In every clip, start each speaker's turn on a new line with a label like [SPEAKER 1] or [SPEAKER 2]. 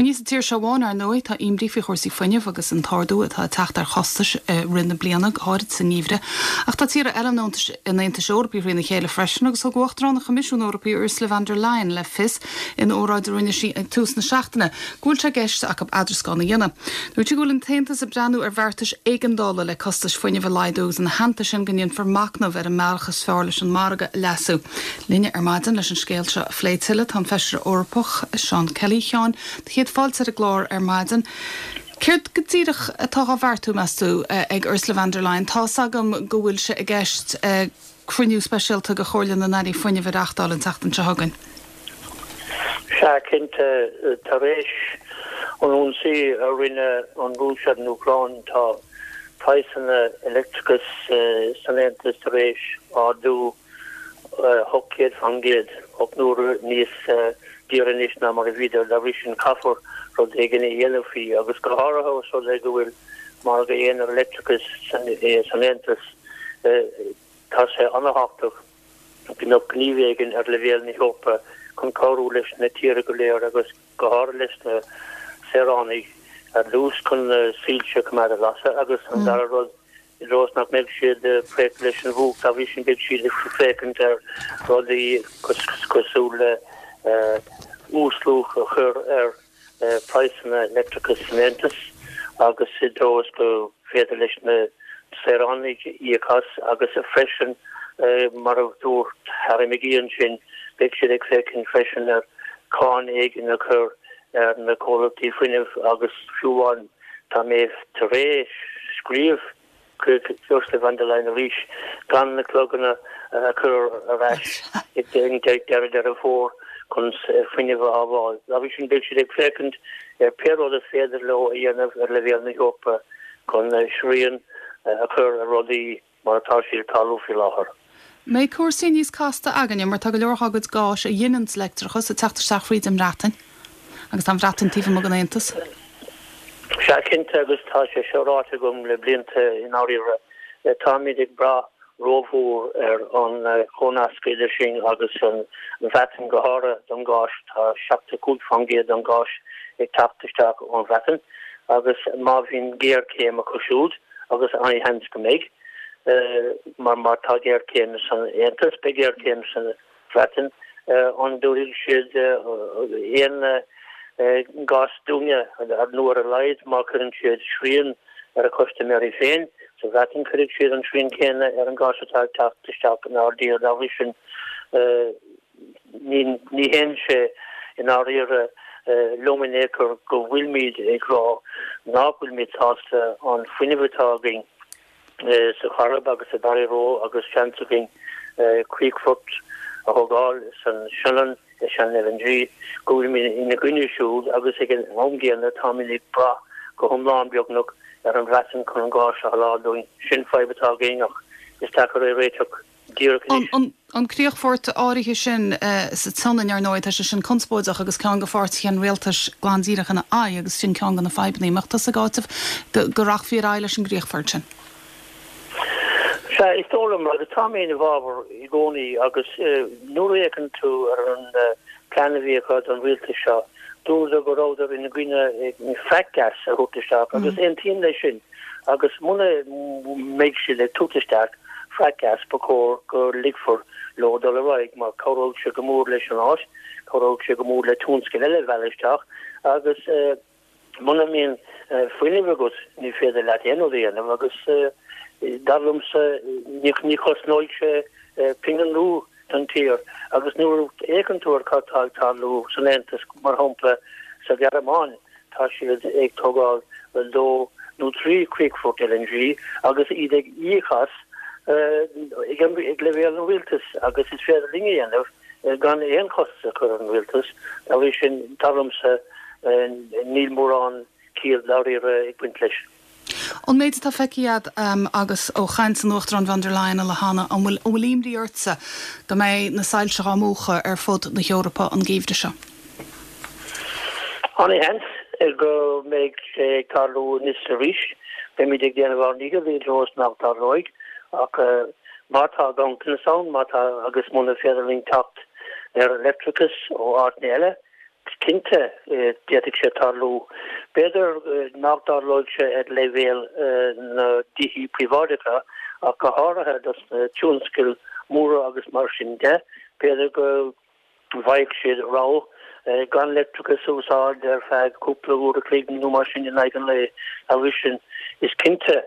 [SPEAKER 1] Ní sa tír seo amháin, ar ndóigh, tá imní faoi chúrsaí fuinnimh agus an t-ardú atá ag teacht ar chostais i rith na bliana, go háirid sa ngeimhreadh. Ach tá tíortha eile an Aontais Eorpaigh thrína chéile freisin agus thug Uachtarán an Choimisiúin Eorpaigh Ursula von der Leyen le fios in óráid a rinne sí ag tús na seachtaine go bhfuil sé i gceist acu eadrascán a dhéanamh. Dúirt sí go bhfuil an tAontas ag breathnú ar bheartais éigeandála le costais fuinnimh a laghdú agus ina theannta sin go ndéanfar machnamh ar an mbealach is fearr leis an margadh a leasú. Linne ar maidin leis an scéal seo a phlé tuilleadh tá an Feisire Eorpach Seán Kelly. A Sheáin, do chéad fáilte ar an gclár ar maidin. Céard go díreach atá á bheartú, meas tú, ag Ursula von der Leyen? Tá's agam go bhfuil sé i gceist cruinniú speisialta de Chomhairle na nAirí Fuinnimh a reachtáil an tseachtain seo chugainn.
[SPEAKER 2] Sea, cinnte, tar éis an ionsaí a rinne an Rúis ar an Úcráin, tá praghsanna leictreachais san Aontas tar éis ardú 800%, 8 n-uaire níos daoire anois ná mar a bhíodar. Dá bhrí sin, caithfear rud éigin a dhéanamh faoi, agus go háirithe os rud é go bhfuil margadh aonair leictreachais san Aontas, tá sé an-thábhachtach go mbeadh gníomh éigin ar leibhéal na hEorpa chun cabhrú leis na tíortha go léir agus go háirithe leis na saoránaigh ar dtús chun na soilse a choimeád ag lasadh agus an dara rud i dtreo is nach mbeidh siad ag préachadh leis an bhfuacht, dá bhrí sin beidh siad ag féachaint ar rudaí cosúil le uasluach a chur ar praghsanna leictreachais san Aontas agus i dtreo is go féidir leis na saoránaigh íoc as agus freisin mar a dúirt Harry McGee ansin beidh siad ag féachaint freisin ar cáin éigin a chur ar na comhlachtaí fuinnimh agus fiú amháin Tá mé tar éis scríobh chuig Ursula von der Leyen arís gan na cloganna a chur ar ais ag deireadh Deireadh Fómhair chun fuinneamh a shábháil. Dá bhrí sin beidh siad ag féachaint ar pé rud is féidir leo a dhéanamh ar leibhéal na hEorpa chun srian a chur ar rudaí mar atá siad ag tarlú faoi láthair.
[SPEAKER 1] Mbeidh cúrsaí níos casta againne mar tá go leor dhá gcuid gáis a ghineanns leictreachas ag teacht isteach fríd an mBreatain agus tá an Bhreatain taobh amuigh den Aontas.
[SPEAKER 2] Sea, cinnte, agus tá sé seo ráite agam le blianta i ndáiríre, táimid ag brath rómhór ar an chomhnasc idir sinn agus an Bhreatain, go háirithe don ghás. Tá 75% den ghás ag teacht isteach ón Bhreatain agus má bhíonn géarchéim acu siúd, agus an-sheans go mbeidh, mar má tá géarchéim san Aontas, beidh géarchéim sa Bhreatain, an dtabharfaidh siad aon ghás dúinne, nó ar a laghad má chuireann siad srian ar a chustaiméirí féin sa Bhreatain, cuirfidh siad an srian céanna ar an ghás atá ag teacht isteach inár dtír. Dá bhrí sin, Ní théann sé i ndáiríre liom in aon chor go bhfuilimid ag rá nach bhfuilimid sásta an fuinneamh atá againn sa Choirib agus i Barryroe agus seans againn críochfort a thógáil san Sionainn, i Shannon LNG, go bhfuilimid ina gcoinne siúd agus ag an am gcéanna táimid ag brath go hiomlán beagnach ar an Bhreatain chun an gás a sholáthar dúinn. Sin fadhb atá againn ach is deacair é a réiteach. díreach
[SPEAKER 1] anois. An críochfort áirithe sin sa tSionainn, ar ndóigh, tá sé sin conspóideach agus ceann de pháirtithe an rialtais glan díreach ina aghaidh agus sin ceann de na fadhbanna. An mbeadh tusa ag áiteamh go rachfaí ar aghaidh leis an gcríochfort sin?
[SPEAKER 2] Sea, is dóigh liom, agus tá mé ina bhfabhar i gcónaí agus nuair a fhéachann tú ar an plean a bhí acu don rialtas seo, dúradar go rabhadar ina gcoinne frack gas a thabhairt isteach agus aontaím leis sin. Agus muna mbeidh siad ag tabhairt isteach frack gas ba chóir go ligfear leo dul ar aghaidh mar cabhróidh sé go mór leis an áit, cabhróidh sé go mór le tionscail eile a mhealladh isteach agus muna mbíonn fuinneamh agat ní féidir leat aon rud a dhéanamh agus dar liomsa ní chosnóidh sé pingin nua don tír agus nuair a fhéachann tú ar cad tá ag tarlú san Aontas mar shampla sa Ghearmáin Tá siad ag tógáil dó nó 3 chríochfort LNG agus iad ag íoc as ag leibhéal an rialtais agus is féidir linn a dhéanamh gan aon chostas a chur ar an rialtas. Dá bhrí sin, dar liomsa, níl mórán ciall dáiríre ag baint leis.
[SPEAKER 1] Ón méid atá feicthe agat agus ó chaint an Uachtaráin von der Leyen uile cheana, an bhfuil an bhfuil imní ortsa go mbeidh na soilse á múchadh ar fud na hEorpa an geimhreadh seo?
[SPEAKER 2] An-sheans go mbeidh sé ag tarlú anois arís. Beimid ag déanamh ár ndícheall i dtreo is nach dtarlóidh ach má tá ganntanas ann, má tá agus muna féidir linn teacht ar leictreachas ó áiteanna eile. Cinnte, d'fhéadfadh sé tarlú. B'fhéidir nach dtarlóidh sé ar leibhéal na dtithe príobháideacha ach go háirithe dos na tionscail mhóra agus mar sin de. B'fhéidir go bhfaigheadh siad rogha gan leictreachas a úsáid ar feadh cúpla uair a chloig nó mar sin in aghaidh an lae. Dá bhrí sin, is cinnte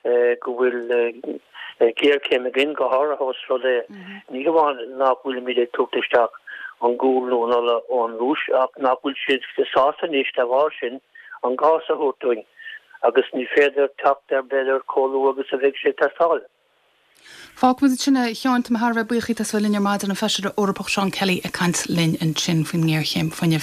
[SPEAKER 2] go bhfuil géarchéim againn, go háirithe ós rud é, ní hamháin nach bhfuilimid ag tabhairt isteach an gual nó an ola ón Rúis, ach nach bhfuil siad sásta anois dá bharr sin an gás a thabhairt dúinn, agus ní féidir teacht air b'fhéidir chomh luath agus a bheidh sé ag teastáil.
[SPEAKER 1] Fágfaimid ansin é, a Sheáin. Tá mé thar a bheith buíoch díot as a bheith linn ar maidin, an Feisire Eorpach Seán Kelly ag caint linn ansin faoin ngéarchéim fuinnimh.